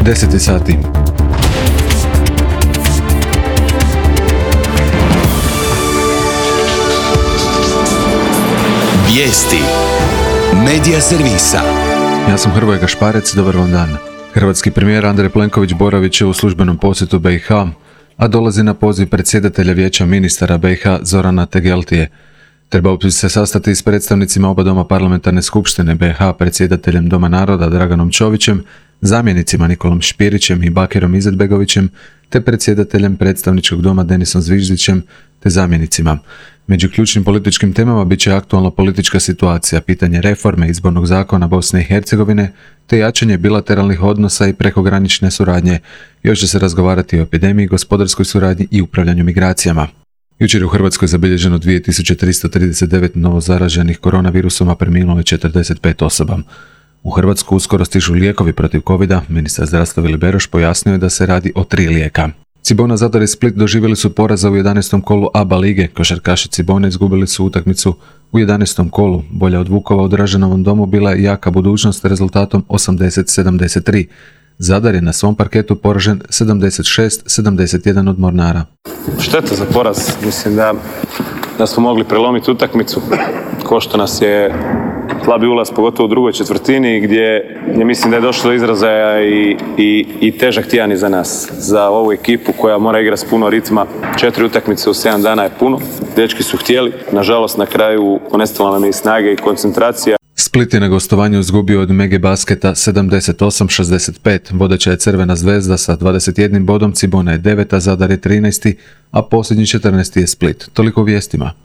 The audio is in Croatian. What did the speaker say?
10 sati. Vijesti Medija servisa. Ja sam Hrvoje Gašparec, dobar vam dan. Hrvatski premijer Andrej Plenković boravit će u službenom posjetu BiH, a dolazi na poziv predsjedatelja Vijeća ministara BiH Zorana Tegeltije. Trebao bi se sastati s predstavnicima oba doma parlamentarne skupštine BiH, predsjedateljem Doma naroda Draganom Čovićem, zamjenicima Nikolom Špirićem i Bakirom Izetbegovićem, te predsjedateljem predstavničkog doma Denisom Zviždićem, te zamjenicima. Među ključnim političkim temama bit će aktualna politička situacija, pitanje reforme izbornog zakona Bosne i Hercegovine, te jačanje bilateralnih odnosa i prekogranične suradnje. Još će se razgovarati o epidemiji, gospodarskoj suradnji i upravljanju migracijama. Jučer je u Hrvatskoj zabilježeno 2339 novozaraženih koronavirusom, a preminulo je 45 osoba. U Hrvatsku uskoro stižu lijekovi protiv covida. Ministar zdravstva Vili Beroš pojasnio je da se radi o 3 lijeka. Cibona, Zadar i Split doživjeli su poraza u 11. kolu ABA lige. Košarkaši Cibone izgubili su utakmicu u 11. kolu. Bolja od Vukova u Draženovom domu bila je Jaka Budućnost rezultatom 80-73. Zadar je na svom parketu poražen 76-71 od Mornara. Šteta za poraz. Mislim da smo mogli prelomiti utakmicu, ko što nas je slabi ulaz, pogotovo u drugoj četvrtini, gdje mislim da je došlo do izražaja i težak tjedan iza nas. Za ovu ekipu koja mora igrati s puno ritma, 4 utakmice u 7 dana je puno. Dečki su htjeli, nažalost na kraju ponestalo nam je i snage i koncentracija. Split je na gostovanju izgubio od Mege Basketa 78-65. Vodeća je Crvena Zvezda sa 21 bodom, Cibona je 9, Zadar je 13, a posljednji 14 je Split. Toliko o vijestima.